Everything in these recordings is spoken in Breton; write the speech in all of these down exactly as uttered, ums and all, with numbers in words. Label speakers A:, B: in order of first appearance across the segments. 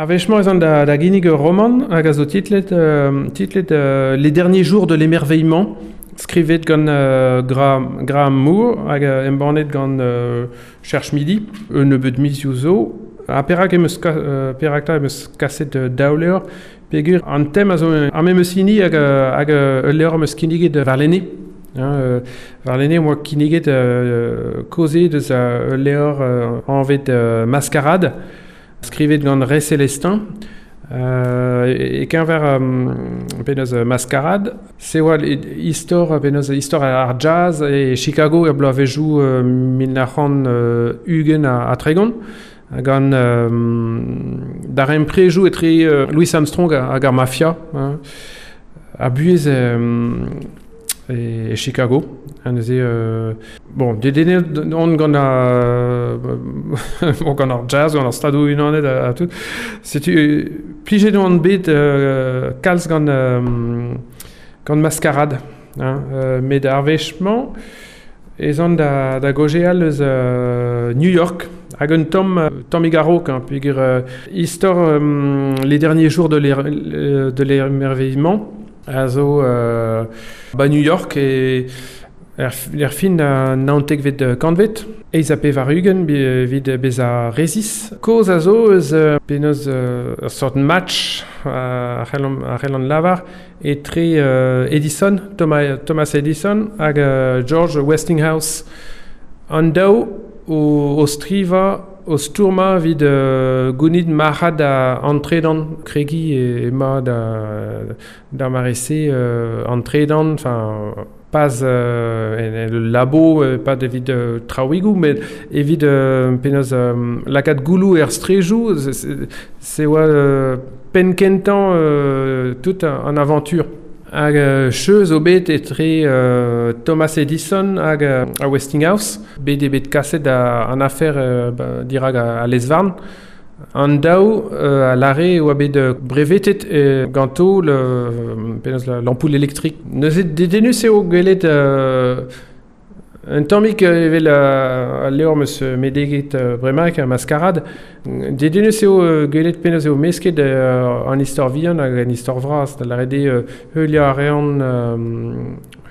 A: Ar wech-mañ ez an da, da ginnig ur roman hag a zo titlet, euh, titlet euh, Les derniers jours de l'émerveillement, skrivet gant euh, Graham, Graham Moore hag euh, embannet gant euh, Cherche Midi, un nebeud mizioù zo. Ha perak em eus, ka, euh, perak ta em eus kaset euh, daou levr, peogwir an tem a zo ar memes hini hag, hag ul levr am eus kinniget warlene. Hein, euh, warlene am boa kinniget euh, kaoze deus ul levr euh, anvet euh, Mascarade, skrivet gant Ray Célestin. Euh, e keñver euh, penaos Mascarade, se oa istor penaos istor ar jazz e Chicago er bloavezhioù euh, mil nav c'hant euh, ugent ha, ha tregont, gant euh, darempredoù etre euh, Louis Armstrong hag ar mafia, hein, a buhez euh, e, e Chicago. Ha neuze, euh, bon, dedennet on gant ar, bon, gant ar jazz, gant ar Stadoù Unanet ha, ha tout. Setu, plijet on bet euh, kalz gant, euh, gant Mascarade. Hein, euh, met ar wech-mañ ez an da, da gaozeal eus euh, New York, hag un tamm, tammig a-raok, hein, peogwir euh, istor euh, Les derniers jours de de l'émerveillement a zo euh, ba New York e er, er fin a naontekvet kantved, eizh ha pevar-ugent evit bezañ resis. Kaoz a zo eus euh, penaos euh, ur sort match a c'hellan lavar etre euh, Edison, Thomas, Thomas Edison hag euh, George Westinghouse. An daou o, o strivañ o stourmañ evit euh, gounit marc'had an tredan, kregiñ ema da, d'ar mare-se euh, an tredan, enfin pas euh, en, en le labo, euh, pas evit euh, traouigoù, met evit euh, penaos euh, lakaat gouloù er strejoù, se oa euh, penn kentañ euh, tout an aventure. Hag euh, cheuz zo bet etre euh, Thomas Edison hag euh, a Westinghouse, bet eo bet kaset a, an afer euh, ba, dirak a, a lez-varn. An daou euh, a lâre oa bet brevetet euh, ganto le, penaos l'ampoule électrique. Neuze dedennus eo gwelet euh, un tammig evel al levr am eus meneget bremaik ar Mascarade. Dedennus eo gwelet penaos eo mesket an istor vihan hag an istor vras, da lâret eo heuliañ a reont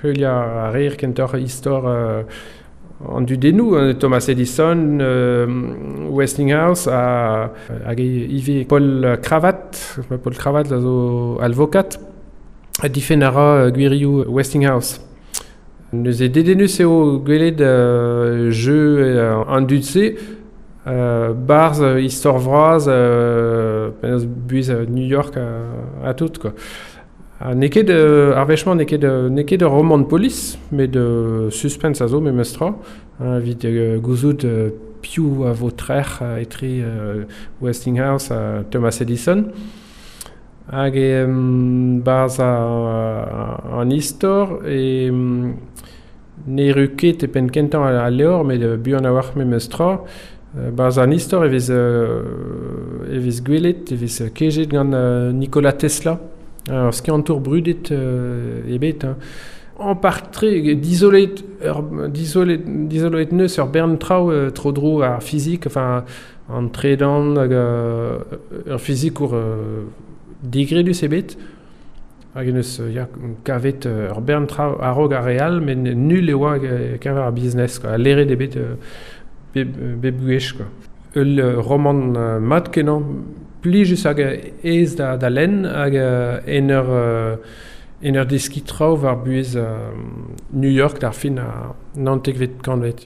A: heuliañ a reer kentoc'h istor an dudennoù, Thomas Edison, euh, Westinghouse ha, hag ivez Paul Cravath, Paul Cravath a zo alvokad, ha difenn a ra gwirioù Westinghouse. Neuze dedennus eo gwelet euh, jeu euh, an dud-se, euh, barzh istor vras euh, penaos buhez New York ha, ha tout, quoi. Ha n'eo ket euh, ar wech-mañ n'eo ket, n'eo ket ur romant polis, met euh, suspense a zo memes tra, hein, evit euh, gouzout euh, piv a vo trec'h etre euh, Westinghouse ha Thomas Edison. Hag e um, barzh an istor e um, n'erru ket e penn kentañ al levr, met buan a-walc'h memes tra. Barzh an istor e vez, euh, e vez gwelet, e vez kejet gant euh, Nikola Tesla, ur skiantour brudet euh, ebet. Hein. En partre, dizolet, ur, dizolet, dizoloet neus ur bern traoù euh, tro-dro ar fizik, enfin, an tredan hag euh, ur fizikour euh, digredus ebet. Hag neus ya, kavet ur bern traoù a-raok ar re all, met nul e oa keñver ar business, quoi. Leret ebet euh, bep, bep gwech, quoi. Ul romant euh, mat kenañ, plijus hag aes da, da lenn hag en ur, en ur deskiñ traoù war buhez euh, New York d'ar fin a naontekvet kantved.